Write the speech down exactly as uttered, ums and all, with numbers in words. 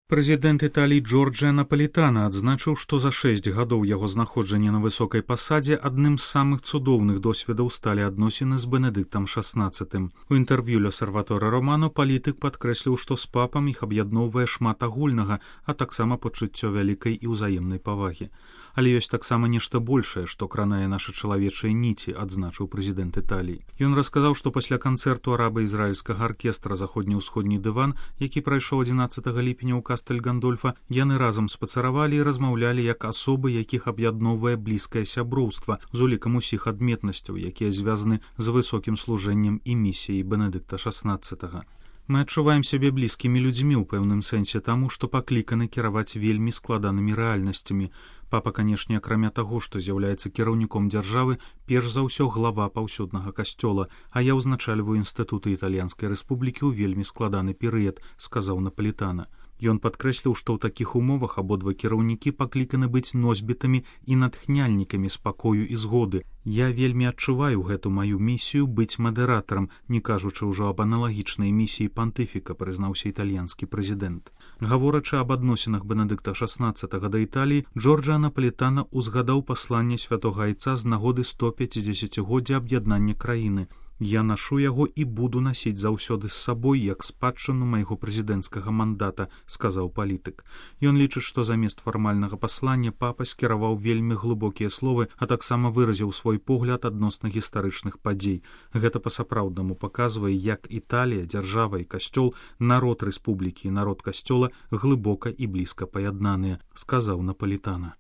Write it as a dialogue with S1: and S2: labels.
S1: Прэзідэнт Італіі Джорджа Напалітана адзначыў, што за шэсць гадоў яго знаходжання на высокай пасадзе адным з самых цудоўных досведаў сталі адносіны з Бенедыктам шаснаццатым. У інтэрв'ю «Л'Осерваторе Романо» палітык падкрэсліў, што з папам іх аб'ядноўвае шмат агульнага, а таксама пачуццё вялікай і ўзаемнай павагі. Але ёсць таксама нешта большае, што кранае нашы чалавечыя ніці, адзначыў прэзідэнт Італіі. Ён расказаў, што пасля канцэрту араба-ізраільскага аркестра «Заходні-ўсходні дыван», які прайшоў адзінаццатага ліпеня ў Кастэль Гандольфа, яны разам спацаравалі і размаўлялі як асобы, якіх аб'ядноўвае блізкае сяброўства з улікам усіх адметнасцяў, якія звязаны з высокім служэннем і місіяй Бенедыкта шаснаццатага. Мы адчуваем сябе блізкімі людзьмі ў пэўным сэнсе таму, што пакліканы кіраваць вельмі складанымі рэальнасцямі. Папа, канешне, акрамя таго, што з'яўляецца кіраўніком дзяржавы, перш за ўсё глава паўсюднага касцёла, а я ўзначальваю інстытуты Італьянскай рэспублікі ў вельмі складаны перыяд, сказаў Напалітана. Ён падкрэсліў, што ў такіх умовах абодва кіраўнікі пакліканы быць носьбітамі і натхняльнікамі спакою і згоды. Я вельмі адчуваю гэту маю місію быць мадэратарам, не кажучы ўжо аб аналагічнай місіі пантыфіка, прызнаўся італьянскі прэзідэнт. Гаворачы аб адносінах Бенедыкта шаснаццатага да Італіі, Джорджа Напалітана узгадаў пасланне святога айца з нагоды сто пяцідзесяцігоддзя аб'яднання краіны. Я нашу яго і буду насіць заўсёды з сабой як спадчыну майго прэзідэнцкага мандата, сказаў палітык. Ён лічыць, што замест фармальнага паслання папа скіраваў вельмі глыбокія словы, а таксама выразіў свой погляд адносна гістарычных падзей. Гэта па-сапраўднаму паказвае, як Італія, дзяржава і касцёл, народ рэспублікі і народ касцёла глыбока і блізка паяднаныя, сказаў Напалітана.